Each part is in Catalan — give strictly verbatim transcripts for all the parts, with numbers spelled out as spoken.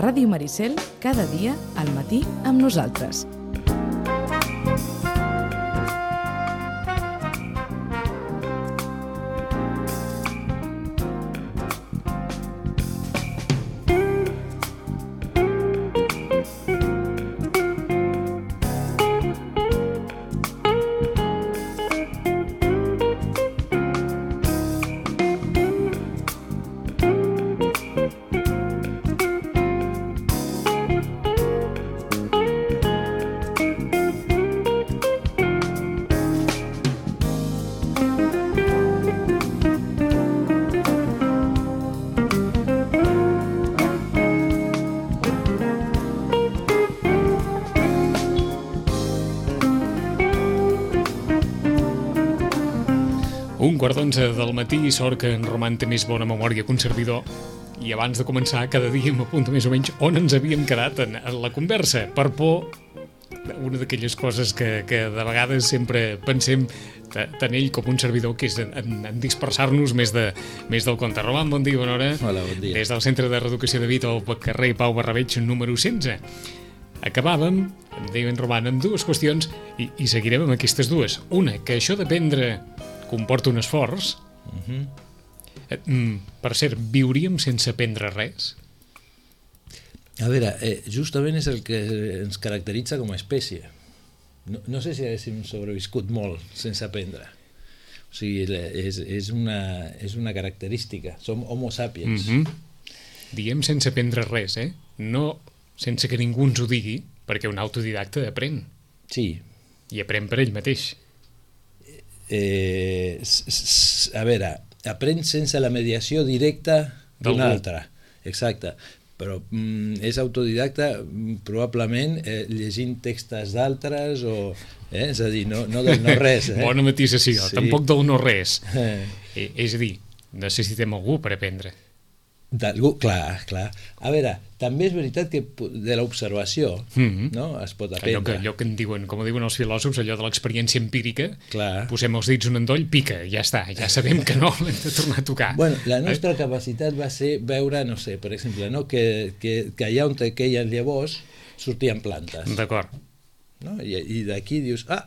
Ràdio Maricel, cada dia al matí amb nosaltres. Un quart d'onze del matí, sort que en Roman té més bona memòria que un servidor, i abans de començar cada dia m'apunta més o menys on ens havíem quedat en, en la conversa, per por una d'aquelles coses que, que de vegades sempre pensem tant ell com un servidor, que és en, en dispersar-nos més, de, més del compte. Roman, bon dia, bona hora. Hola, bon dia. Des del Centre de Reeducació de Vita, al carrer Pau Barrabeig, número setze. Acabàvem, em deia en Roman, amb dues qüestions i, i seguirem amb aquestes dues. Una, que això d'aprendre comporta un esforç. Uh-huh. Mm, per cert, viuríem sense aprendre res? A veure, eh, justament és el que ens caracteritza com a espècie. No, no sé si haguéssim sobreviscut molt sense aprendre. O sigui, és, és, una, és una característica. Som homo sapiens. Uh-huh. Diem sense aprendre res, eh? No sense que ningú ens ho digui, perquè un autodidacta aprèn. Sí. I aprèn per ell mateix. Eh, a veure, aprèn sense la mediació directa d'un altre, exacte, però mm, és autodidacta probablement eh, llegint textos d'altres o, eh, és a dir, no, no del no res. Eh? Bona matisació, sí. Tampoc del no res. Eh. Eh, és a dir, necessitem algú per aprendre. D'algú, clar, clar. A veure, també és veritat que de l'observació mm-hmm. no? Es pot aprendre. Allò que, allò que en diuen, com diuen els filòsofs, allò de l'experiència empírica, clar. Posem els dits un endoll, pica, ja està, ja sabem que no l'hem de tornar a tocar. Bueno, la nostra eh? capacitat va ser veure, no sé, per exemple, no? que, que, que allà on queien llavors sortien plantes. D'acord. No? I, i d'aquí dius, ah,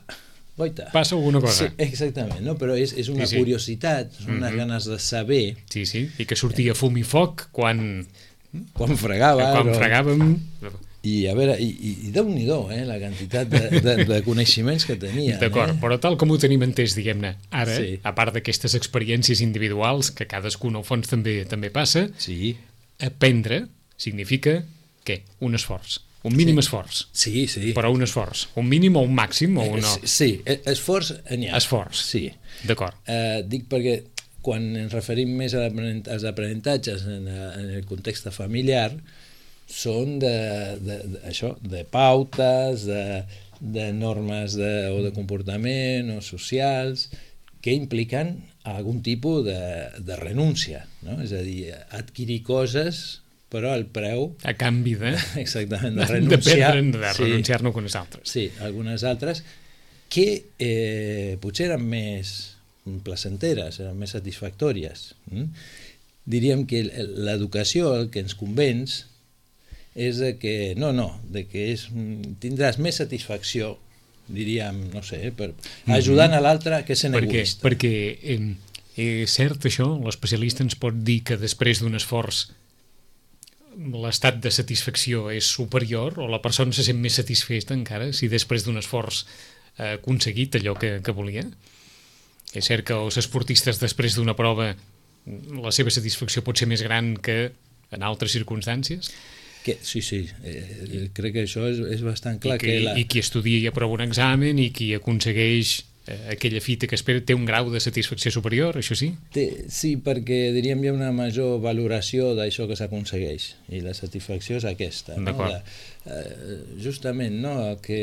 goita. Passa alguna cosa. Sí, exactament, no? Però és, és una sí, sí. curiositat, són unes mm-hmm. ganes de saber. Sí, sí, i que sortia fum i foc quan... Quan fregava. Quan o... fregàvem... I a veure, i, i, i Déu-n'hi-do, eh, la quantitat de, de, de coneixements que tenia. D'acord, eh? Però tal com ho tenim entès, diguem-ne, ara, sí. a part d'aquestes experiències individuals, que cadascun al fons també també passa, sí. aprendre significa, què? Un esforç. Un mínim sí. esforç. Sí, sí. Però un esforç. Un mínim o un màxim o un no? Sí, esforç n'hi ha. Esforç. Sí. D'acord. Eh, dic perquè quan ens referim més als aprenentatges en, en el context familiar, són de, de, de, això, de pautes, de, de normes de, o de comportament o socials que impliquen algun tipus de, de renúncia, no? És a dir, adquirir coses però el preu... A canvi de... Exactament, de renunciar... De, de renunciar-ne sí, algunes altres. Sí, algunes altres que eh, potser eren més placenteres, eren més satisfactòries. Mm? Diríem que l'educació, el que ens convenç, és de que, no, no, de que és, tindràs més satisfacció, diríem, no sé, per, ajudant mm-hmm. a l'altre que sent perquè, egoista. Perquè eh, és cert això, l'especialista ens pot dir que després d'un esforç l'estat de satisfacció és superior o la persona se sent més satisfeta encara si després d'un esforç ha aconseguit allò que, que volia. És cert que els esportistes després d'una prova la seva satisfacció pot ser més gran que en altres circumstàncies? Que, sí, sí, eh, crec que això és, és bastant clar. I, que, que la... I qui estudia i aprova un examen i qui aconsegueix eh, aquella fita que espera té un grau de satisfacció superior, això sí? Té, sí, perquè diríem hi ha una major valoració d'això que s'aconsegueix i la satisfacció és aquesta. No? La, eh, justament, no? El que,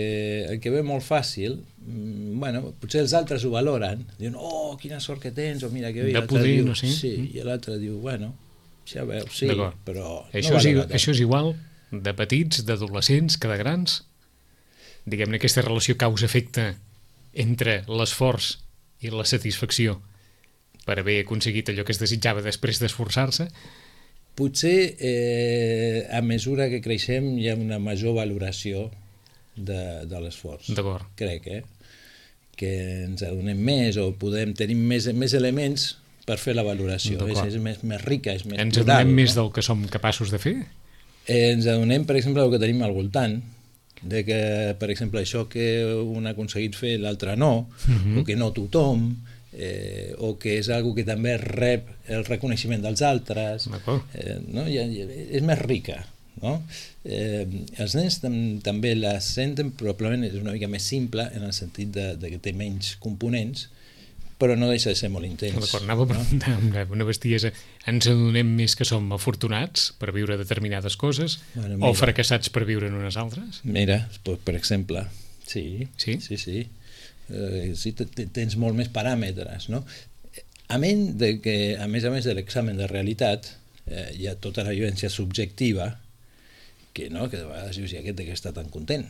el que ve molt fàcil, bueno, potser els altres ho valoren, diuen, oh, quina sort que tens, o mira que bé, de poder, diu, no sé. Sí, i l'altre diu, bueno, ja veus, sí, però això, no és, això és igual de petits, d'adolescents, que de grans? Diguem-ne, aquesta relació causa-efecte entre l'esforç i la satisfacció per haver aconseguit allò que es desitjava després d'esforçar-se, potser eh, a mesura que creixem hi ha una major valoració de, de l'esforç. D'acord. Crec, eh? Que ens adonem més o podem tenir més, més elements per fer la valoració. És, és més, més rica, és més ens plural. adonem no? més del que som capaços de fer? Eh, ens adonem, per exemple, del que tenim al voltant, de que, per exemple, això que un ha aconseguit fer l'altre no, uh-huh. o que no tothom, eh, o que és algo que també rep el reconeixement dels altres, eh, no? I, és més rica. No? Eh, els nens tam també la senten, probablement és una mica més simple en el sentit de, de que té menys components, però no deixa de ser molt intens. D'acord, anava a preguntar amb una bestiesa. Ens adonem més que som afortunats per viure determinades coses bueno, o fracassats per viure en unes altres? Mira, per exemple, sí, sí, sí, sí. Eh, sí tens molt més paràmetres, no? A menys de que, a més a més de l'examen de realitat, eh, hi ha tota la vivència subjectiva que, no, que de vegades dius, i aquest de què està tan content?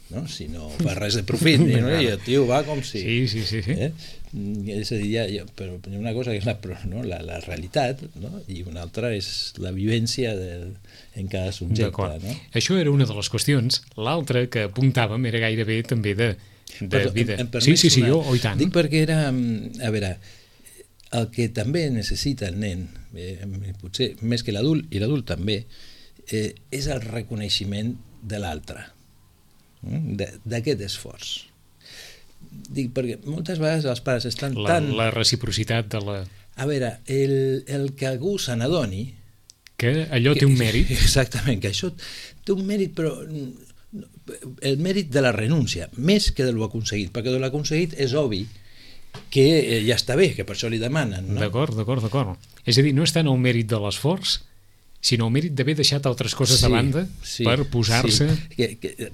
No? Si no fa res de profit, no? I el tio va com si... Sí, sí, sí. sí. Eh? És a dir, ja, ja, però hi ha una cosa que és la, no? la, la realitat, no? I una altra és la vivència de, en cada subjecte. No? Això era una de les qüestions. L'altra que apuntàvem era gairebé també de, de però, vida. Em, em sí, sí, sí, una... jo, oh, i tant. Dic perquè era... A veure, el que també necessita el nen, eh, potser més que l'adult, i l'adult també, eh, és el reconeixement de l'altre, d'aquest esforç. Dic, perquè moltes vegades els pares estan la, tan... La reciprocitat de la... A veure, el, el que algú se n'adoni... Que allò que, té un mèrit. Exactament, que això té un mèrit, però el mèrit de la renúncia, més que de l'ho aconseguit, perquè de l'ho aconseguit és obvi que ja està bé, que per això li demanen. No? D'acord, d'acord, d'acord. És a dir, no és tant el mèrit de l'esforç, sinó el mèrit d'haver deixat altres coses sí, de banda sí, per posar-se... Sí.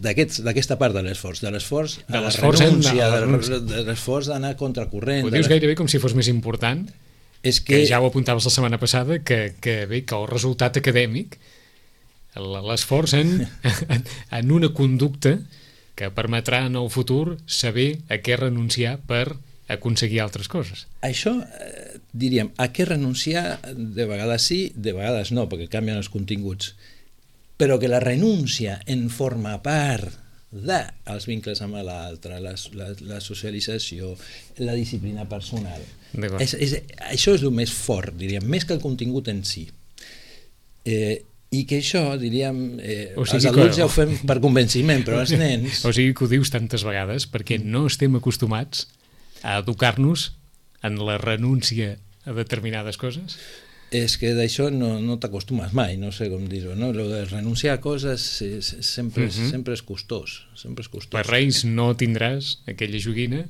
D'aquesta part de l'esforç, de l'esforç a la renúncia, de, de l'esforç d'anar contracorrent... Ho dius gairebé com si fos més important, és que... que ja ho apuntaves la setmana passada, que, que bé, que el resultat acadèmic, l'esforç en, en una conducta que permetrà en el futur saber a què renunciar per aconseguir altres coses. Això, eh, diríem, a què renunciar de vegades sí, de vegades no, perquè canvien els continguts, però que la renúncia en forma part dels vincles amb l'altre, la, la, la socialització, la disciplina personal. És, és, això és el més fort, diríem, més que el contingut en si. Eh, I que això, diríem, eh, o sigui els adults que... ja ho fem per convenciment, però els nens... O sigui que ho dius tantes vegades perquè no estem acostumats a educar-nos en la renúncia a determinades coses? És que d'això no, no t'acostumes mai, no sé com dir-ho, no? Lo de renunciar a coses és, sempre, és, uh-huh. sempre és costós, sempre és costós. Per Reis no tindràs aquella joguina?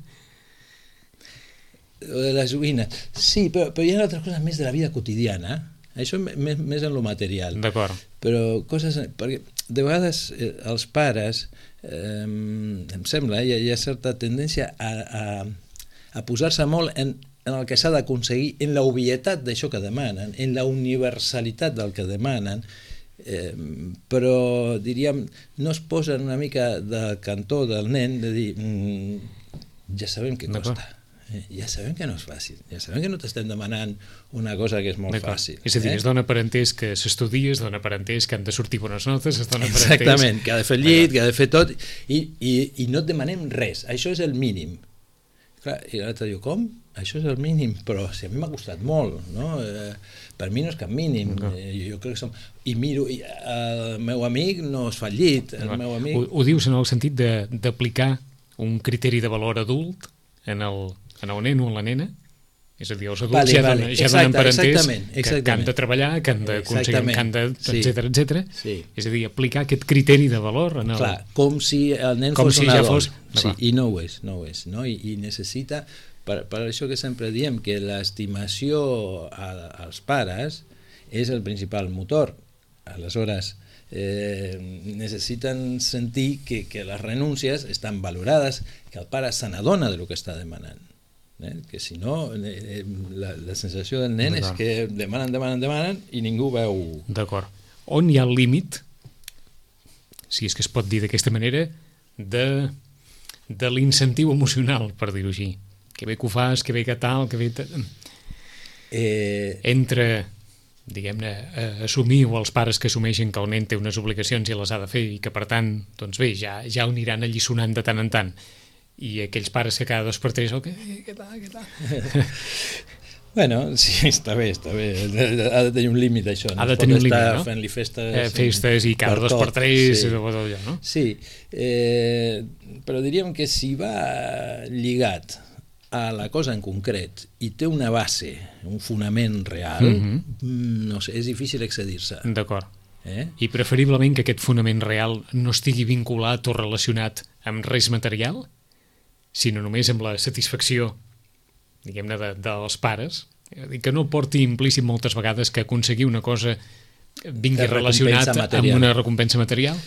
Lo de la joguina, sí, però, però hi ha altres coses més de la vida quotidiana, això més, més en lo material. D'acord. Però coses... Perquè de vegades eh, els pares, eh, em sembla, hi ha, hi ha certa tendència a, a, a posar-se molt en, en el que s'ha d'aconseguir, en la obvietat d'això que demanen, en la universalitat del que demanen, eh, però, diríem, no es posen una mica del cantó del nen de dir mm, ja sabem què costa. Ja sabem que no és fàcil, ja sabem que no t'estem demanant una cosa que és molt fàcil. És a dir, eh? es dona per entès que s'estudia, es dona per entès que han de sortir bones notes, es dona per entès... Exactament, que ha de fer el llit, que ha de fer tot, i, i, i no et demanem res, això és el mínim. Clar, i l'altre diu, com? Això és el mínim, però si a mi m'ha costat molt, no? Eh, per mi no és cap mínim, no. eh, jo crec que som... I miro, i el meu amic no es fa el llit, el no. meu amic... Ho, ho dius en el sentit d'aplicar un criteri de valor adult en el... en el nen o en la nena, és a dir, els adults vale, ja, vale. donen, ja Exacte, donen per entès que, que han de treballar, que han d'aconseguir, que han de, etcètera, etcètera. Sí. És a dir, aplicar aquest criteri de valor en el... Clar, com si el nen com fos si un ja adult. Fos... Sí, i no ho és, no ho és, no? I, i necessita, per, per això que sempre diem que l'estimació als pares és el principal motor. Aleshores, eh, necessiten sentir que, que les renúncies estan valorades, que el pare se n'adona del que està demanant. Eh? Que si no, eh, la, la sensació del nen és que demanen, demanen, demanen i ningú veu... D'acord. On hi ha el límit, si és que es pot dir d'aquesta manera, de, de l'incentiu emocional, per dir-ho així? Que bé que ho fas, que bé que tal, que bé... Eh... Entre diguem-ne, eh, assumir, o els pares que assumeixen que el nen té unes obligacions i les ha de fer i que, per tant, doncs bé, ja, ja ho aniran alliçonant de tant en tant. I aquells pares que cada dos per tres, oh, què, què tal, què tal? Bueno, sí, està bé, està bé. Ha de tenir un límit, això. Ha de tenir un límit, no? Fent-li festes... Eh, festes i cada per dos tot, per tres, sí. O allò, no? Sí, eh, però diríem que si va lligat a la cosa en concret i té una base, un fonament real, mm-hmm. no sé, és difícil excedir-se. D'acord. Eh? I preferiblement que aquest fonament real no estigui vinculat o relacionat amb res material, sinó només amb la satisfacció, diguem-ne, de, dels pares, i que no porti implícit moltes vegades que aconseguir una cosa vingui relacionat amb una recompensa material.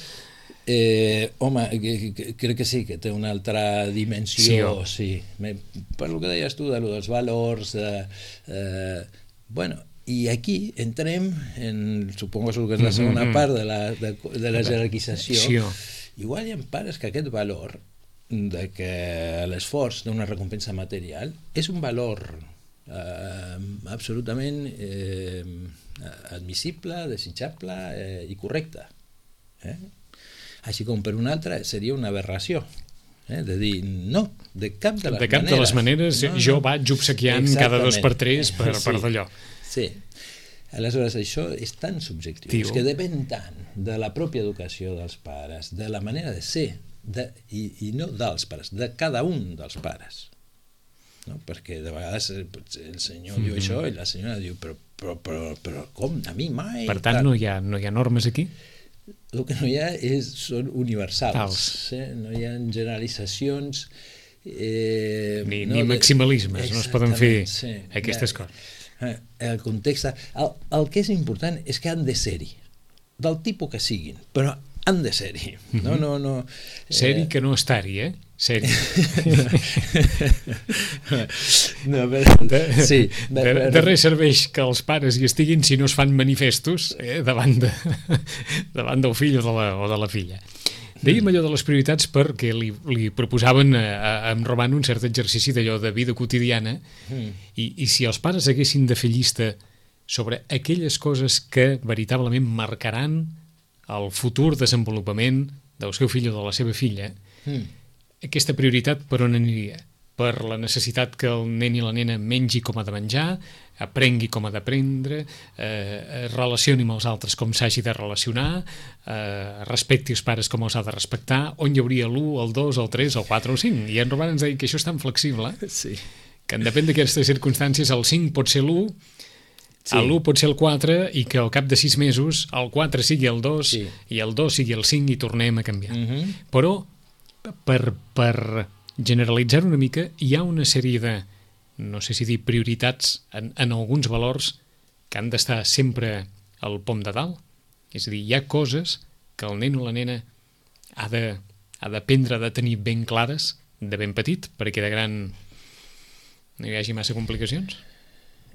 Eh, home, que, que, crec que sí, que té una altra dimensió, sí, oh. sí. Per el que deies tu, de lo dels valors, de, eh, bueno, i aquí entrem en, supongo que és la segona mm-hmm. part de la, de, de la jerarquització. Sí, oh. Igual hi ha pares que aquest valor de que l'esforç d'una recompensa material és un valor eh, absolutament eh, admissible, desitjable eh, i correcte. Eh? Així com per una altra seria una aberració, eh? De dir, no, de cap de les de cap maneres. De les maneres no, no. Jo vaig obsequiant cada dos per tres per, sí, per d'allò. Sí. Aleshores, això és tan subjectiu, Tio. És que depèn tant de la pròpia educació dels pares, de la manera de ser, de, i, i no dels pares, de cada un dels pares. No? Perquè de vegades el senyor mm-hmm. diu això i la senyora diu, però, però, però, però com, a mi mai? Per tant, no hi ha, no hi ha normes aquí? El que no hi ha és, són universals, eh? No hi ha generalitzacions eh, ni, no, ni maximalismes, no es poden fer sí, aquestes ja, coses. El context, el, el que és important és que han de ser-hi, del tipus que siguin, però han de ser-hi. No, no, no. Ser-hi que no estar-hi, eh? Ser-hi. no, però, de, sí, de, de, de res serveix que els pares hi estiguin si no es fan manifestos eh, davant, de, davant del fill o de la, o de la filla. Dèiem allò de les prioritats perquè li, li proposaven a, a, a en Roman un cert exercici d'allò de vida quotidiana mm. i, i si els pares haguessin de fer llista sobre aquelles coses que veritablement marcaran el futur desenvolupament del seu fill o de la seva filla, mm. aquesta prioritat per on aniria? Per la necessitat que el nen i la nena mengi com ha de menjar, aprengui com ha d'aprendre, eh, relacioni amb els altres com s'hagi de relacionar, eh, respecti els pares com els ha de respectar, on hi hauria l'u, el dos, el tres, el quatre o el cinc. I en Robert ens deia que això és tan flexible sí. que en depèn d'aquestes circumstàncies el cinc pot ser l'u, sí. l'u pot ser el quatre i que al cap de sis mesos el quatre sigui el dos sí. i el dos sigui el cinc i tornem a canviar. Mm-hmm. Però per... per generalitzar una mica, hi ha una sèrie de, no sé si dir prioritats en, en alguns valors que han d'estar sempre al pom de dalt. És a dir, hi ha coses que el nen o la nena ha de, ha d'aprendre de tenir ben clares de ben petit, perquè de gran no hi hagi massa complicacions.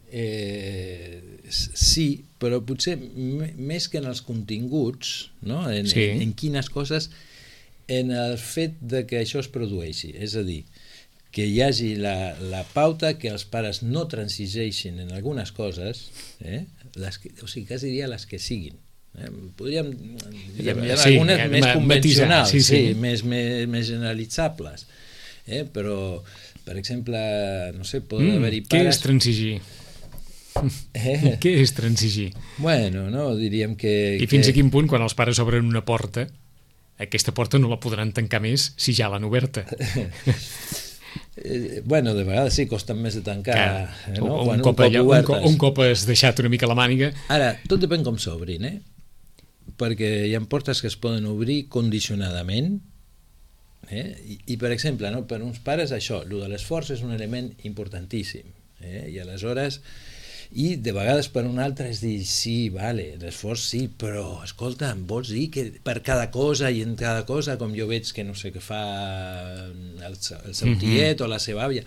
Eh, sí, però potser m- més que en els continguts, no? en, sí. en, en quines coses... en el fet de que això es produeixi, és a dir, que hi hagi la, la pauta, que els pares no transigeixin en algunes coses, eh? les que, o sigui, quasi diria les que siguin. Eh? Podríem dir sí, algunes ja, més ma, convencionals, sí, sí. Sí, més, més, més generalitzables, eh? Però, per exemple, no sé, poden mm, haver-hi pares... Què és transigir? Eh? Què és transigir? Bueno, no, diríem que... I fins que... a quin punt, quan els pares obren una porta, aquesta porta no la podran tancar més si ja l'han oberta. eh, bueno, de vegades sí, costen més de tancar. Clar, no? un, Quan, cop un, cop allà, un, cop, un cop has deixat una mica la màniga... Ara, tot depèn com s'obrin, eh? Perquè hi ha portes que es poden obrir condicionadament, eh? I, i per exemple, no? Per uns pares això, el de l'esforç és un element importantíssim, eh? I aleshores... I de vegades per un altre és dir, sí, vale, l'esforç sí, però escolta, em vols dir que per cada cosa i en cada cosa, com jo veig que no sé què fa el, el seu tiet mm-hmm. o la seva àvia,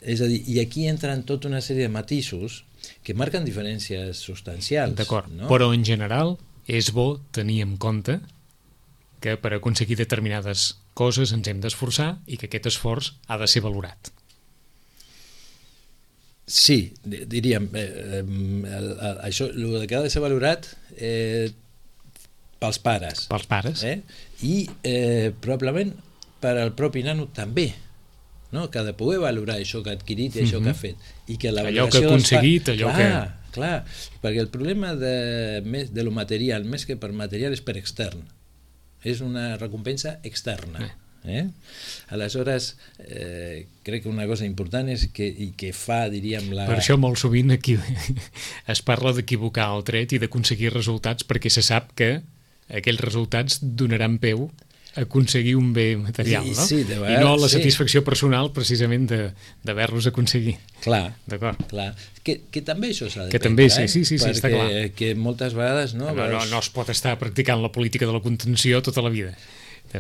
és a dir, i aquí entren tota una sèrie de matisos que marquen diferències substancials. D'acord, no? Però en general és bo tenir en compte que per aconseguir determinades coses ens hem d'esforçar i que aquest esforç ha de ser valorat. Sí, diríem, eh, el, el, això, el que ha de ser valorat eh, pels pares. Pels pares. Eh? I eh, probablement per al propi nano també, no? Que ha de poder valorar això que ha adquirit i això mm-hmm. que ha fet. I que la allò que ha aconseguit, allò clar, que... Clar, perquè el problema de, de lo material, més que per material, és per extern. És una recompensa externa. Eh. Eh? Aleshores, eh, crec que una cosa important és que, i que fa, diríem... La... Per això molt sovint aquí es parla d'equivocar el tret i d'aconseguir resultats perquè se sap que aquells resultats donaran peu a aconseguir un bé material, no? Sí, de vegades, i no la sí. satisfacció personal precisament d'haver-los aconseguit. Clar, d'acord. Clar. Que, que també això s'ha de que prendre, també, sí, eh? sí, sí, sí, perquè està clar. Que moltes vegades... No, no, no, no es pot estar practicant la política de la contenció tota la vida.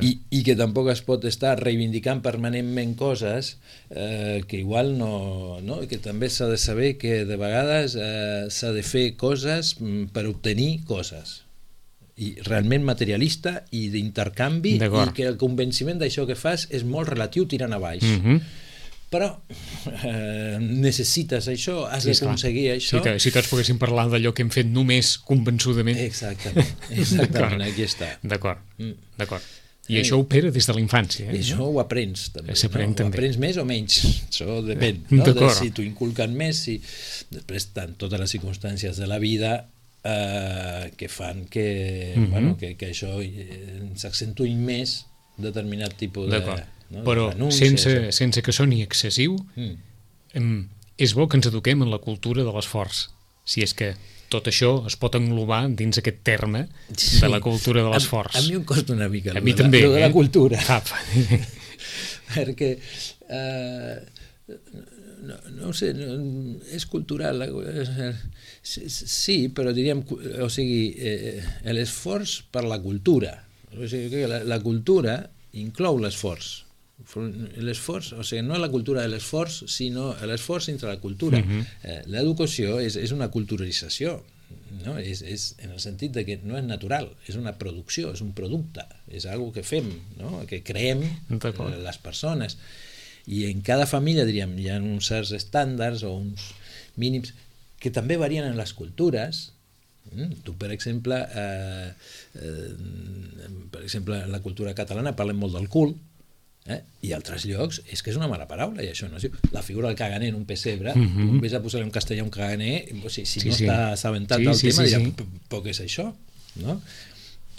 I, i que tampoc es pot estar reivindicant permanentment coses eh, que igual no, no... que també s'ha de saber que de vegades eh, s'ha de fer coses per obtenir coses i realment materialista i d'intercanvi i que el convenciment d'això que fas és molt relatiu tirant a baix. Mm-hmm. Però eh, necessites això, has sí, d'aconseguir això. Si, si tots poguéssim parlar d'allò que hem fet només convençudament. Exactament, exactament aquí està. D'acord, mm. d'acord. I eh, això opera des de la infància. Eh? I això ho aprens també. S'aprèn no? també. Ho aprens més o menys, això depèn. No? De si t'ho inculquen més, si després tant totes les circumstàncies de la vida eh, que fan que, mm-hmm. bueno, que, que això eh, s'accentuï més determinat tipus de... No? Però sense, sense que soni excessiu mm. em, és bo que ens eduquem en la cultura de l'esforç, si és que tot això es pot englobar dins aquest terme sí. de la cultura de l'esforç. A, a mi em costa una mica a mi de, també, la, de la eh? cultura Cap. perquè eh, no, no sé no, és cultural sí, però diríem o sigui, eh, l'esforç per la cultura, o sigui que la, la cultura inclou l'esforç. L'esforç, o sigui, no la cultura de l'esforç, sinó l'esforç entre la cultura. Mm-hmm. eh, L'educació és, és una culturalització, no? És, és en el sentit de que no és natural, és una producció, és un producte, és una que fem, no? Que creem les persones. I en cada família, diríem, hi ha uns certs estàndards o uns mínims que també varien en les cultures. Mm, tu, per exemple, eh, eh, per exemple, en la cultura catalana parlem molt del cul, eh? I altres llocs és que és una mala paraula i això no es diu. La figura del caganer en un pessebre, mm-hmm. tu vés a posar-li un castellà un caganer, o sigui, si sí, no sí. està assabentat sí, del sí, tema sí, dirà, sí. però què és això? No?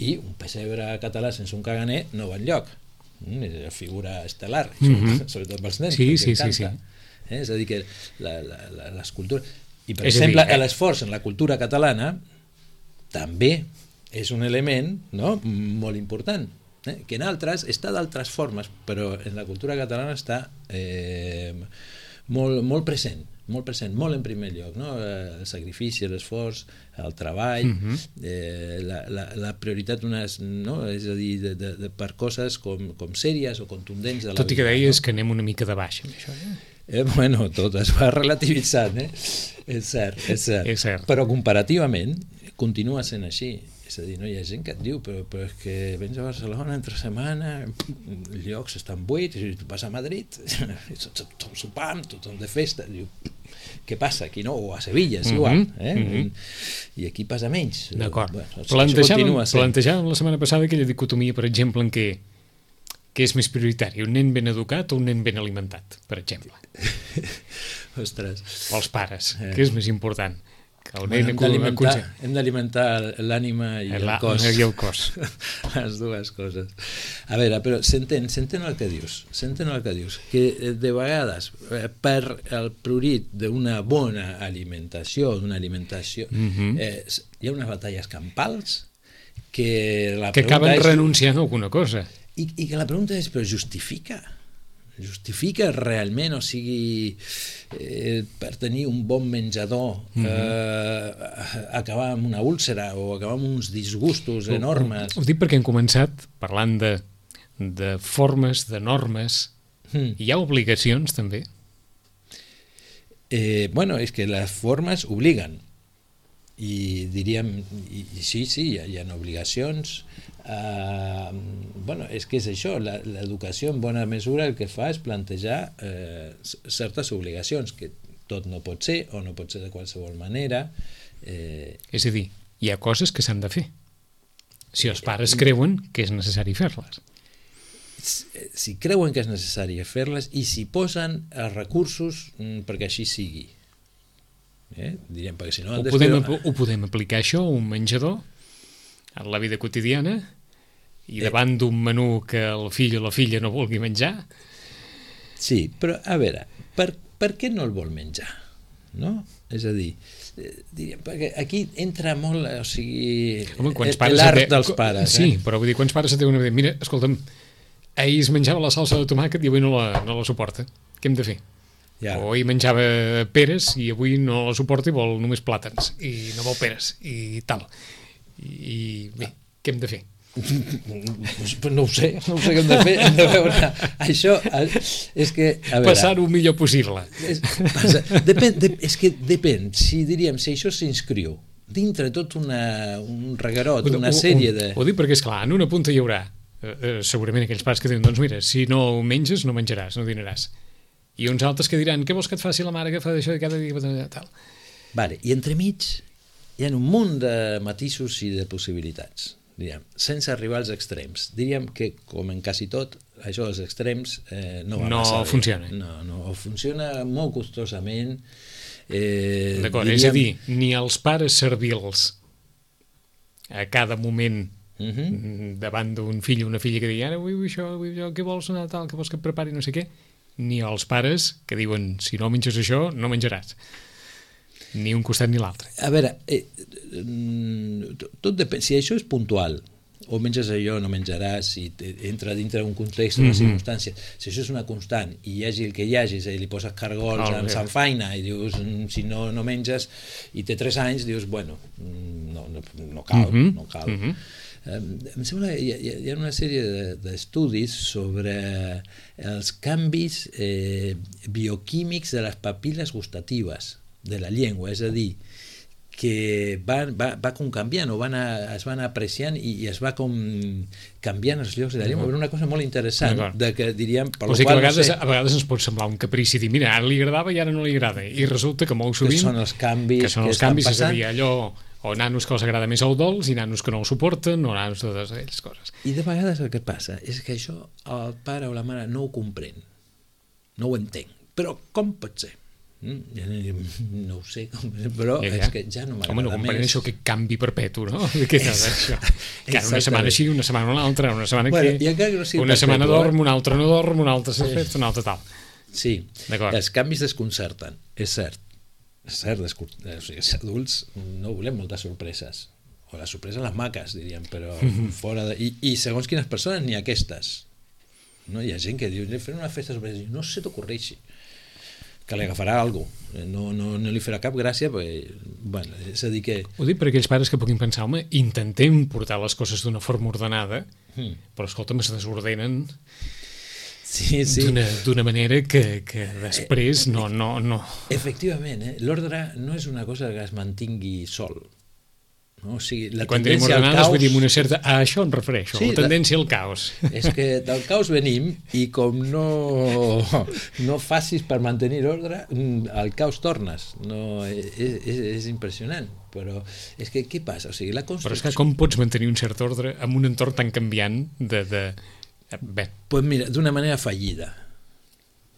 I un pessebre català sense un caganer no va enlloc. Mm, és una figura estel·lar, mm-hmm. sobretot pels nens, sí, perquè sí, encanta. Sí, sí. Eh? És a dir, que la, la, la, les cultures... I, per és exemple, dir, eh? l'esforç en la cultura catalana també és un element, no? molt important. Eh? Que en altres està d'altres formes, però en la cultura catalana està eh, molt, molt present, molt present, molt en primer lloc, no? El sacrifici, l'esforç, el treball, mm-hmm. eh, la, la, la prioritat unes, no? És a dir, de, de, de, per coses com, com sèries o contundents de la Tot i que vida, deies no? que anem una mica de baix amb això, eh? Eh, bueno, tot es va relativitzant, eh? És cert, és cert. És cert. Però comparativament continua sent així. És a dir, no hi ha gent que et diu però, però és que vens a Barcelona entre setmana, els llocs estan buits, i tu vas a Madrid, tothom sopant, tothom de festa, diu, què passa aquí, no? O a Sevilla, és igual, eh? Mm-hmm. I aquí passa menys. D'acord. Bueno, plantejàvem, plantejàvem la setmana passada aquella dicotomia, per exemple, en què què és més prioritari, un nen ben educat o un nen ben alimentat, per exemple? Ostres. Pels pares, eh. què és més important? Bueno, hem d'alimentar l'ànima i el cos. I el cos. Les dues coses. A veure, però s'entén, s'entén el que dius, s'entén el que dius, que de vegades per el prurit d'una bona alimentació, d'una alimentació, mm-hmm. eh, hi ha unes batalles campals que la que acaben és, renunciant a alguna cosa. I, I que la pregunta és, però justifica? Justifica realment, o sigui, eh, per tenir un bon menjador, eh, mm-hmm. acabar amb una úlcera o acabar amb uns disgustos enormes? Ho, ho dic perquè hem començat parlant de, de formes, de normes. Mm. Hi ha obligacions, també? Eh, bueno, és que les formes obliguen. I diríem, i, i sí, sí, hi ha, hi ha obligacions. Uh, bueno, és que és això, l'educació en bona mesura el que fa és plantejar eh, certes obligacions que tot no pot ser, o no pot ser de qualsevol manera. Eh... És a dir, hi ha coses que s'han de fer. Si els pares creuen que és necessari fer-les. Si creuen que és necessari fer-les i si posen els recursos perquè així sigui. Eh? Diríem, perquè si no... Ho podem, que... ho podem aplicar això a un menjador, en la vida quotidiana, i davant eh... d'un menú que el fill o la filla no vulgui menjar. Sí, però a veure, per, per què no el vol menjar? No? És a dir, diríem, perquè aquí entra molt, o sigui, home, l'art dels pares. Sí, eh? però vull dir, quants pares et diuen, mira, escolta'm, ahir es menjava la salsa de tomàquet i avui no la, no la suporta. Què hem de fer? Ja. O ahir menjava peres i avui no la suporta i vol només plàtans i no vol peres i tal. I, i bé, què hem de fer? No ho sé, no ho sé què hem de fer. Hem de veure. Això és que... Passar-ho millor possible. És, passa, depèn, de, és que depèn, si diríem, si això s'inscriu dintre tot una, un reguerot, una sèrie de... Ho, ho dic perquè, esclar, en una punta hi haurà eh, segurament aquells pares que diuen, doncs mira, si no menges, no menjaràs, no dinaràs. I uns altres que diran, què vols que et faci la mare que fa d'això i cada dia tal. Vale, i entremig hi ha un munt de matisos i de possibilitats, diríem, sense arribar als extrems. Diríem que, com en quasi tot, això dels extrems eh, no va no massa bé. Funciona. No, no, funciona molt costosament. Eh, D'acord, diríem... és a dir, ni els pares servils a cada moment uh -huh. davant d'un fill o una filla que digui, ara vull això, vull això, què vols anar tal, què vols que et prepari, no sé què, ni els pares que diuen, si no menges això, no menjaràs. Ni un costat ni l'altre. A veure, eh, tot depèn, si això és puntual, o menges allò, no menjaràs, si entra dintre d'un context, una mm -hmm. circumstància, si això és una constant, i hi hagi el que hi hagi, i li poses cargols oh, amb Sant Faina, i dius, si no, no menges, i té tres anys, dius, bueno, no, no, no cal, mm -hmm. no cal. Mm -hmm. Em sembla que hi ha, hi ha una sèrie d'estudis sobre els canvis eh, bioquímics de les papil·les gustatives de la llengua, és a dir, que va, va, va com canviant, o van a, es van apreciant i, i es va com canviant els llocs de la llengua. Era una cosa molt interessant, de que diríem... Per o sigui qual, que a vegades, no sé, a vegades ens pot semblar un caprici dir, mira, ara li agradava i ara no li agrada, i resulta que molt sovint... Que són els canvis que, són que els estan canvis, passant. És a dir, allò... o nanos que els agrada més el dolç i nanos que no el suporten, o nanos de totes aquelles coses. I de vegades el que passa és que això el pare o la mare no ho comprèn, no ho entén. Però com pot ser? Mm, no ho sé, però ja, ja. és que ja no m'agrada Home, no comprèn això que canvi perpetu, no? Què és això? Que una setmana així, una setmana una altra, una setmana bueno, aquí, no sigui una perpetu, setmana eh? dorm, una altra no dorm, una altra s'ha fet, una altra tal. Sí, els canvis desconcerten, és cert. És cert, o sigui, els adults no volem moltes sorpreses, o les sorpreses les maques, diríem, però fora de... I, i segons quines persones n'hi ha aquestes, no? Hi ha gent que diu, fer una festa sorpresa, no se t'ocorreixi que li agafarà alguna cosa, no, no, no li farà cap gràcia, perquè, bueno, és a dir que... Ho dic per aquells pares que puguin pensar, home, intentem portar les coses d'una forma ordenada, mm. però escolta'm, es desordenen sí, sí. d'una manera que, que després no... no, no. Efectivament, eh? L'ordre no és una cosa que es mantingui sol. No? O sigui, la quan tenim ordenades vull dir una certa... A això em refereixo, sí, la tendència la... al caos. És que del caos venim i com no, no facis per mantenir ordre, al caos tornes. No, és, és, és impressionant. Però és que què passa? O sigui, la construcció... Però és que com pots mantenir un cert ordre en un entorn tan canviant de... de... Bé. Pues mira, d'una manera fallida.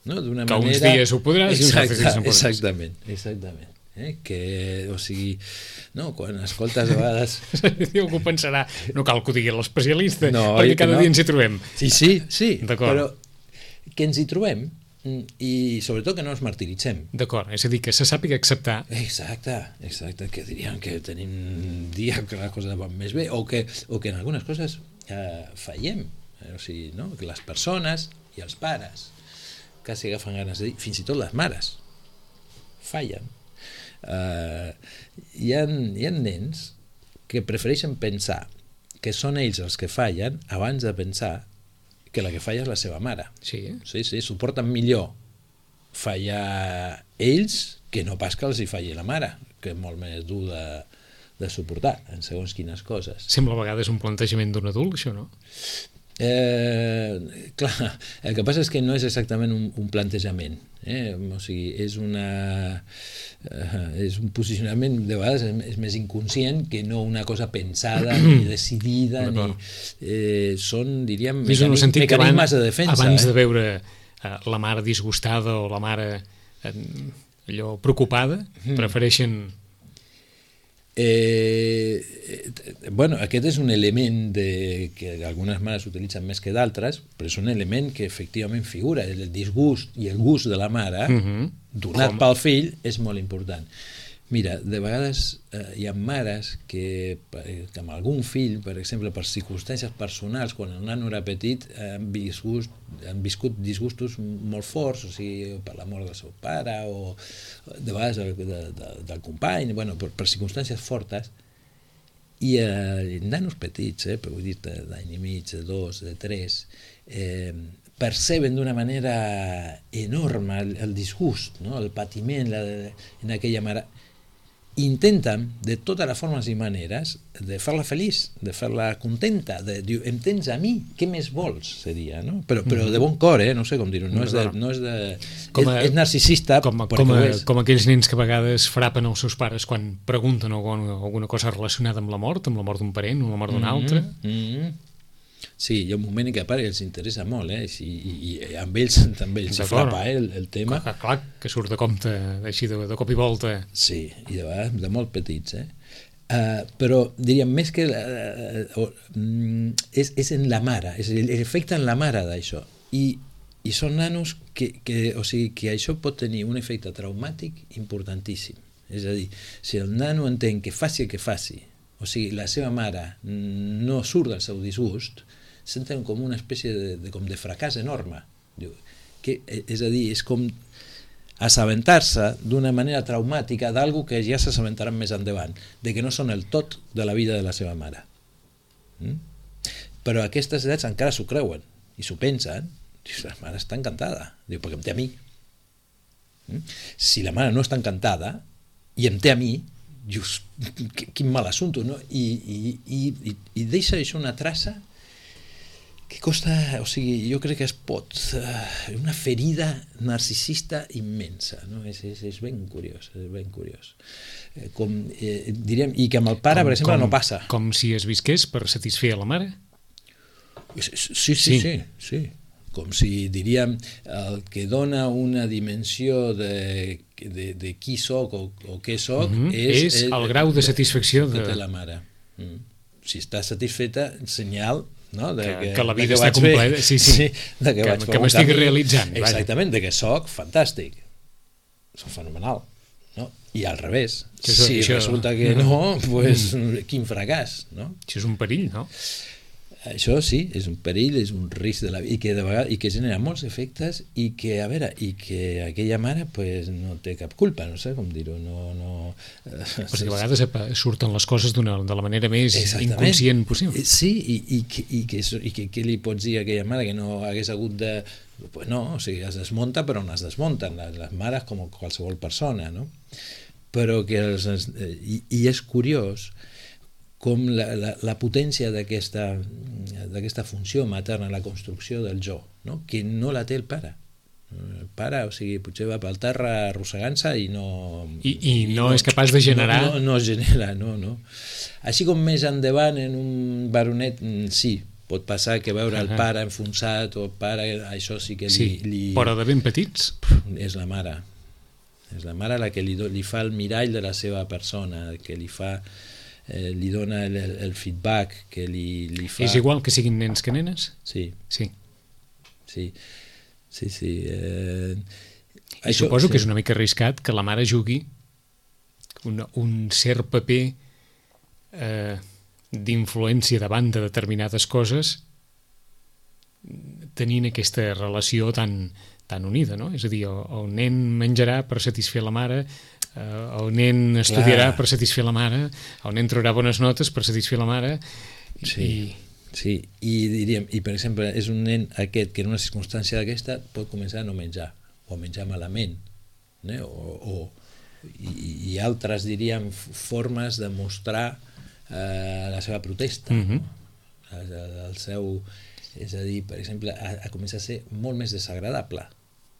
No? D'una que manera... uns dies ho podràs i uns altres dies no podràs. Exactament, exactament. Eh? Que, o sigui, no, quan escoltes a vegades... Algú pensarà, no cal que ho digui l'especialista, no, perquè cada no. dia ens hi trobem. Sí, sí, sí, però que ens hi trobem i sobretot que no ens martiritzem. D'acord, és a dir, que se sàpiga acceptar. Exacte, exacte, que diríem que tenim dia que les coses van més bé, o que, o que en algunes coses eh, fallem, o sigui, no? Que les persones i els pares quasi agafen ganes de dir, fins i tot les mares fallen. Uh, hi ha, hi ha nens que prefereixen pensar que són ells els que fallen abans de pensar que la que falla és la seva mare. Sí, sí, sí, suporten millor fallar ells que no pas que els hi falli la mare, que és molt més dur de, de suportar en segons quines coses. Sembla a vegades un plantejament d'un adult, això, no? Eh, clar, el que passa és que no és exactament un, un plantejament, eh? O sigui, és una eh, és un posicionament de vegades és més inconscient que no una cosa pensada ni decidida ni, eh, són, diríem, mecànic, mecanismes de defensa. Abans eh? de veure eh, la mare disgustada o la mare eh, allò preocupada, mm. prefereixen... Eh, eh, bueno, aquest és un element de, que algunes mares utilitzen més que d'altres, però és un element que efectivament figura, el disgust i el gust de la mare Mm-hmm. donat pel fill és molt important. Mira, de vegades eh, hi ha mares que, que amb algun fill, per exemple, per circumstàncies personals, quan el nano era petit, han viscut, han viscut disgustos molt forts, o sigui, per la mort del seu pare, o de vegades de, de, de, del company, bueno, per, per circumstàncies fortes, i eh, nanos petits, eh, però vull dir, d'any i mig, de dos, de tres, eh, perceben d'una manera enorme el, el disgust, no? El patiment la, en aquella mare. Intenten de totes les formes i maneres de fer-la feliç, de fer-la contenta, de dir, em tens a mi, què més vols, seria, no? Però, però de bon cor, eh? No sé com dir-ho, no és de... No és, de com a, és, és narcisista, com, a, com, a, com aquells nens que a vegades frapen els seus pares quan pregunten alguna, alguna cosa relacionada amb la mort, amb la mort d'un parent, amb la mort d'un mm-hmm, altre. Mm-hmm. Sí, hi ha un moment en què a part els interessa molt, eh? I, i, i amb ells també els frapa eh, el, el tema. Clar, clar, que surt de compte, així de, de cop i volta. Sí, i de vegades de molt petits, eh? Uh, però diríem més que uh, uh, és, és en la mare, és l'efecte en la mare d'això, i, i són nanos que, que, o sigui, que això pot tenir un efecte traumàtic importantíssim. És a dir, si el nano entén que faci el que faci, o sigui, la seva mare no surt del seu disgust, senten com una espècie de, de, com de fracàs enorme. Diu, que, és a dir, és com assabentar-se d'una manera traumàtica d'algú que ja s'assabentaran més endavant, de que no són el tot de la vida de la seva mare. Mm? Però a aquestes edats encara s'ho creuen i s'ho pensen. Dius, la mare està encantada. Diu, perquè em té a mi. Mm? Si la mare no està encantada i em té a mi, dius, quin mal assumpte, no? I, i, i, i deixa això una traça que costa, o sigui, jo crec que es pot, uh, una ferida narcisista immensa, no? És, és, és ben curiós, és ben curiós. Eh, com, eh, diríem, i que amb el pare, com, per exemple, com, no passa. Com si es visqués per satisfer a la mare? Sí, sí, sí, sí, sí. Com si, diríem, el que dona una dimensió de, de, de qui soc o, o què soc mm-hmm. és, és el, el grau de satisfacció de, de... de la mare. Mm. Si està satisfeta, senyal, no? De que, que, que la vida que està completa, sí, sí, sí, de que, que, que m'estic realitzant. Exactament, de que soc fantàstic, soc fenomenal, no? I al revés, això, si això... resulta que no, pues, quin fracàs, no? Això és un perill, no? Això sí, és un perill, és un risc de la vida, i que de vegades, i que genera molts efectes, i que, a veure, i que aquella mare pues, no té cap culpa, no sé com dir-ho, no... no eh, perquè a vegades surten les coses de la manera més inconscient possible. Sí, i, i, que, i, que, i que què li pots dir a aquella mare que no hagués hagut de... Pues no, o sigui, es desmunta però on es desmunten, les, les mares com qualsevol persona, no? Però que... Els, i, i és curiós com la, la, la potència d'aquesta d'aquesta funció materna, la construcció del jo, no? Que no la té el pare. El pare, o sigui, potser va pel terra arrossegant-se i no... I, i, i no, no és capaç de generar... No, no, no genera, no, no. Així com més endavant en un baronet, sí, pot passar que veure uh-huh. el pare enfonsat o el pare, això sí que li... Sí, li... però de ben petits... És la mare. És la mare la que li, li fa el mirall de la seva persona, que li fa... Eh, li dona el, el feedback que li, li fa... És igual que siguin nens que nenes? Sí. Sí. Sí, sí, sí. Eh... I això, suposo sí. que és una mica arriscat que la mare jugui un, un cert paper eh, d'influència davant de determinades coses tenint aquesta relació tan, tan unida, no? És a dir, el, el nen menjarà per satisfer la mare, Uh, el nen estudiarà Clar. per satisfer la mare, el nen traurà bones notes per satisfer la mare sí, i... sí, i diríem, i per exemple és un nen aquest que en una circumstància d'aquesta pot començar a no menjar o a menjar malament, eh? o, o i, i altres diríem formes de mostrar eh, la seva protesta, mm-hmm. el, el seu És a dir, per exemple, ha, ha començat a ser molt més desagradable.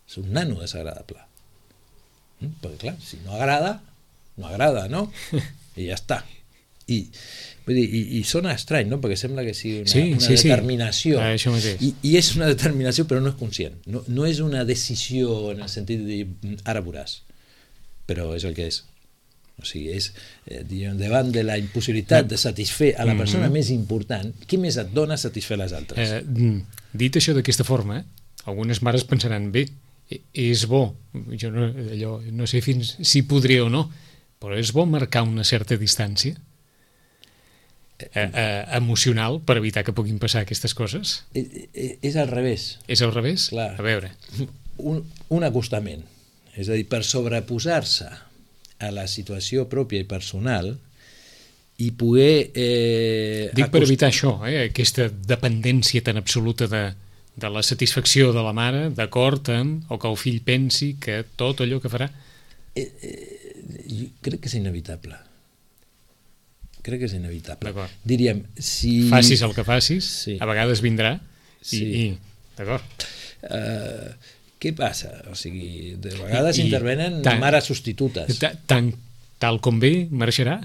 És un nano desagradable. Mm? Perquè, clar, si no agrada, no agrada, no? I ja està. I, vull dir, i, i sona estrany, no? Perquè sembla que sigui una, sí, una sí, determinació. Sí. Ah, això mateix. I, I és una determinació, però no és conscient. No, no és una decisió en el sentit de dir, ara veuràs. Però és el que és. O sigui, és, eh, diguem, davant de la impossibilitat de satisfer a la persona mm-hmm. més important, què més et dona satisfer les altres? Eh, dit això d'aquesta forma, algunes mares pensaran, bé, és bo, jo no, allò, no sé fins si podria o no, però és bo marcar una certa distància eh, eh, emocional per evitar que puguin passar aquestes coses? És, és al revés. És al revés? Clar. A veure. Un, un acostament. És a dir, per sobreposar-se a la situació pròpia i personal i poder... Eh, Dic per evitar això, eh, aquesta dependència tan absoluta de, de la satisfacció de la mare, d'acord amb, o que el fill pensi que tot allò que farà... Eh, eh, jo crec que és inevitable. Crec que és inevitable. Diríem, si... Facis el que facis, sí. A vegades vindrà, i... Sí. i d'acord. Uh, què passa? O sigui, de vegades I, intervenen tan, mares substitutes. Tan, tal com ve, marxarà?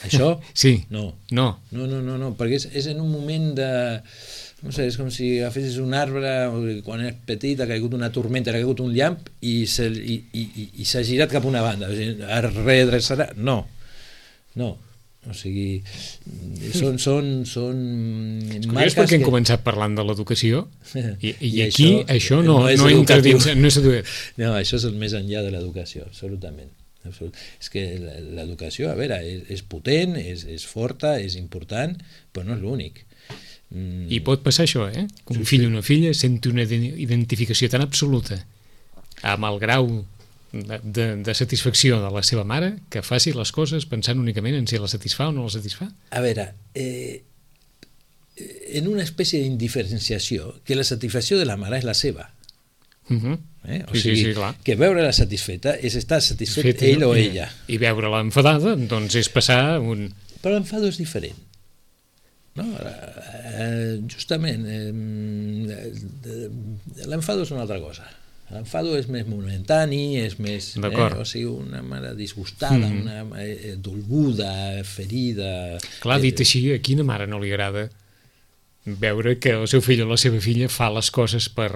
Això? Sí. No. No. No, no, no, no, perquè és, és en un moment de... No sé, és com si agafessis un arbre, quan és petit, ha caigut una tormenta, ha caigut un llamp i s'ha i, i, i s'ha girat cap a una banda. O sigui, es redreçarà? No. No. O sigui, són, són, són marques perquè hem que... començat parlant de l'educació i, i, I aquí això, això no, no, no entra dins, no és educatiu. No, això és el més enllà de l'educació, absolutament. Absolut. És que l'educació, a veure, és, és potent, és, és forta, és important, però no és l'únic. Mm. I pot passar això, eh? Que un sí, fill o una filla senti una identificació tan absoluta amb el grau De, de, de satisfacció de la seva mare que faci les coses pensant únicament en si la satisfà o no la satisfà? A veure, eh, en una espècie d'indiferenciació que la satisfacció de la mare és la seva. Uh-huh. eh? O sí, sigui, sí, sí, clar. Que veure-la satisfeta és estar satisfet Fet, ell o i, ella. I veure-la enfadada, doncs és passar un... Però l'enfado és diferent. No? Eh, justament, eh, l'enfado és una altra cosa. L'enfado és més momentani, és més... Eh, o sigui, una mare disgustada, mm. una eh, dolguda, ferida... Clar, dit així, a quina mare no li agrada veure que el seu fill o la seva filla fa les coses per,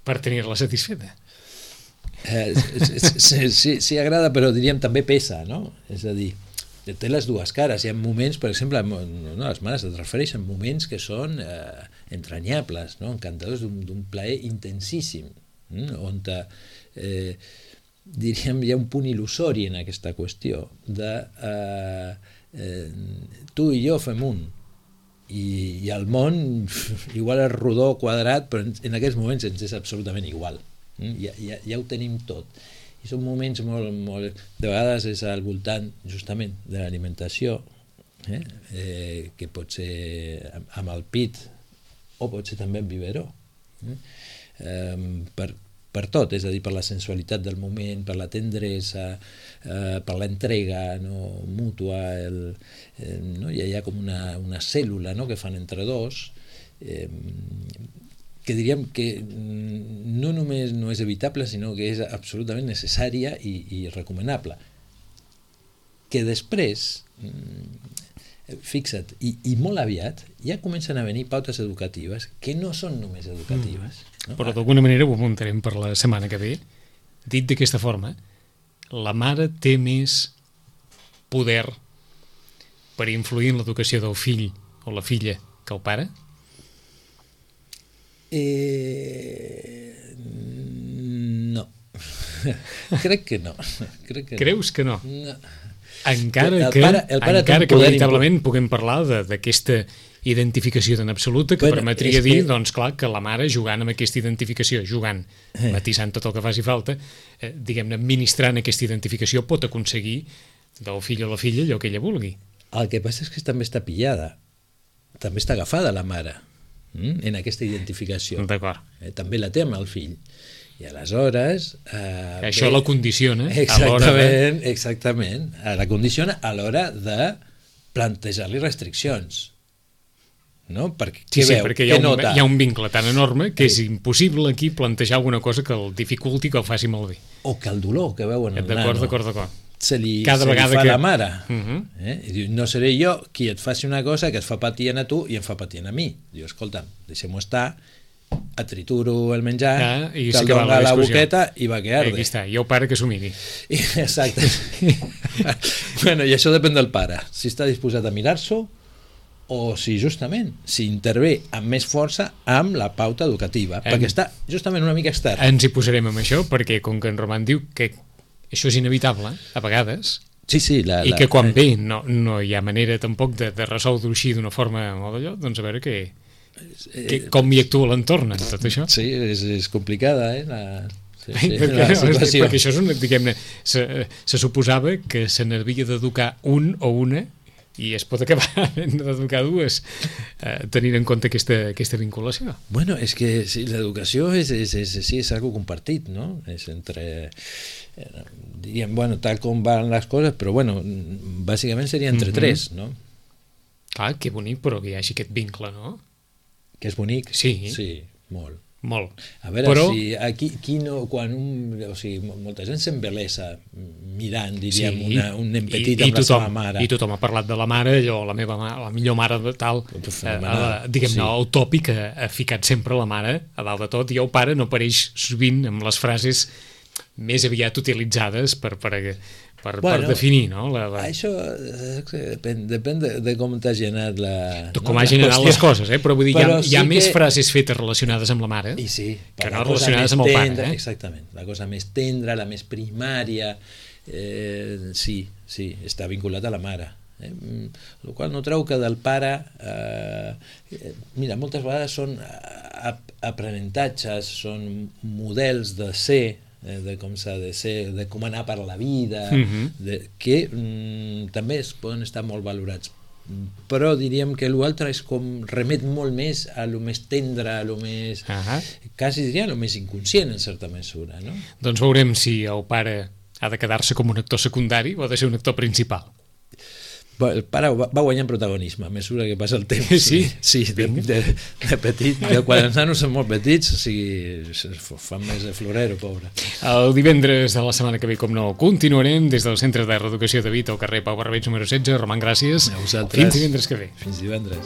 per tenir-la satisfeta? Eh, sí, sí, sí agrada, però diríem també pesa, no? És a dir, té les dues cares. Hi ha moments, per exemple, no, les mares es refereixen a moments que són eh, entranyables, no? Encantadors, d'un plaer intensíssim, mm? on eh, diríem hi ha un punt il·lusori en aquesta qüestió de eh, eh, tu i jo fem un i, i el món igual és rodó, quadrat, però en, en aquests moments ens és absolutament igual, mm? ja, ja, ja ho tenim tot. I són moments molt, molt... De vegades és al voltant, justament, de l'alimentació, eh? Eh, que pot ser amb el pit, o pot ser també amb biberó. Eh? Eh, per, per tot, és a dir, per la sensualitat del moment, per la tendresa, eh, per l'entrega no, mútua, el, eh, no? Hi ha com una, una cèl·lula, no? Que fan entre dos, eh, que diríem que no només no és evitable, sinó que és absolutament necessària i, i recomanable. Que després, fixa't, i, i molt aviat, ja comencen a venir pautes educatives que no són només educatives. Mm. No? Però d'alguna manera ho apuntarem per la setmana que ve. Dit d'aquesta forma, la mare té més poder per influir en l'educació del fill o la filla que el pare? Eh, no. Crec que no. Crec que Creus no. que no? No. Encara el que, pare, el pare encara que veritablement puguem parlar d'aquesta identificació tan absoluta que bueno, permetria dir, que... doncs clar, que la mare jugant amb aquesta identificació, jugant, eh. matissant tot el que faci falta, eh, diguem-ne, administrant aquesta identificació pot aconseguir del fill o la filla allò que ella vulgui. El que passa és que també està pillada, també està agafada la mare en aquesta identificació. D'acord. Eh, també la té amb el fill. I aleshores... Eh, Això bé, la condiciona exactament, a l'hora de... Exactament. La condiciona a l'hora de plantejar-li restriccions. no? Perquè, Sí, què sí, veu, perquè hi ha, què un, nota? hi ha un vincle tan enorme que és impossible aquí plantejar alguna cosa que el dificulti, que el faci malbé. O que el dolor que veu en el D'acord, nano d'acord, d'acord. se li, Cada se li vegada fa que- la mare. Mhm. eh? I diu, no seré jo qui et faci una cosa que et fa patient a tu i em fa patient a mi. Diu, escolta, deixem-ho estar, et trituro el menjar, Ah, i te'l s'acaba dono la a la discussió. boqueta i va que Eh, arde. aquí està, i el pare que s'ho miri. I, exacte. Bueno, i això depèn del pare, si està disposat a mirar-s'ho o si justament si intervé amb més força amb la pauta educativa, Em- perquè està justament una mica extern. Ens hi posarem amb això, perquè com que en Roman diu que això és inevitable, a vegades, Sí, sí, la, i la, que quan ve no, no hi ha manera tampoc de, de resoldre-ho així d'una forma molt d'allò, doncs a veure què, que, com hi actua l'entorn en tot això. Sí, és, és complicada, eh? La, sí, sí, perquè, la situació. perquè això és una, diguem-ne, se, se suposava que se n'havia d'educar un o una i es pot acabar havent d'educar dues eh, tenint en compte aquesta, aquesta vinculació. Bueno, és que sí, l'educació és, és, és, sí, és algo compartit, no? És entre... Eh, diríem, bueno, tal com van les coses, però bueno, bàsicament seria entre Mhm. tres, no? Clar, que bonic, però que hi hagi aquest vincle, no? Que és bonic. Sí. Sí, molt. Molt. A veure, Però- si aquí, qui no, quan un, o sigui, molta gent s'embelesa mirant, diríem, Sí, una, un nen petit i, i amb la tothom, seva mare. I tothom ha parlat de la mare, allò, la meva mare, la millor mare de tal, eh, Fenomenal, la, diguem-ne, sí. el tòpic ha, ha ficat sempre la mare a dalt de tot, i el pare no apareix sovint amb les frases més aviat utilitzades per, per, per, Bueno, per definir, no? La, la, Això eh, depèn, depèn de, de com t'has generat la... de com no, ha la generat qüestió. les coses, eh? Però vull dir, Però hi ha, hi ha sí més que- frases fetes relacionades amb la mare I sí, que la no cosa relacionades més amb el pare. tendra, Eh? Exactament, la cosa més tendra, la més primària, eh, sí, sí, està vinculat a la mare. Eh? Mm, el qual no treu que del pare, eh, eh, mira, moltes vegades són ap aprenentatges, són models de ser, eh, de com s'ha de ser, de com anar per la vida, Mhm. de, que mm, també es poden estar molt valorats, però diríem que l'altre és com remet molt més a lo més tendre, a lo més, Ahà. quasi diria lo més inconscient en certa mesura, no? Doncs veurem si el pare ha de quedar-se com un actor secundari o ha de ser un actor principal. Bé, el pare va, va guanyant protagonisme a mesura que passa el temps. Sí? Sí, de, de, de petit, de quan els nanos són molt petits, o sigui, es fan més de florero, pobre. El divendres de la setmana que ve, com no, continuarem des del Centre de Reeducació de Vita al carrer Pau Barbeig número setze. Roman, gràcies. A vosaltres. Fins divendres que ve. Fins divendres.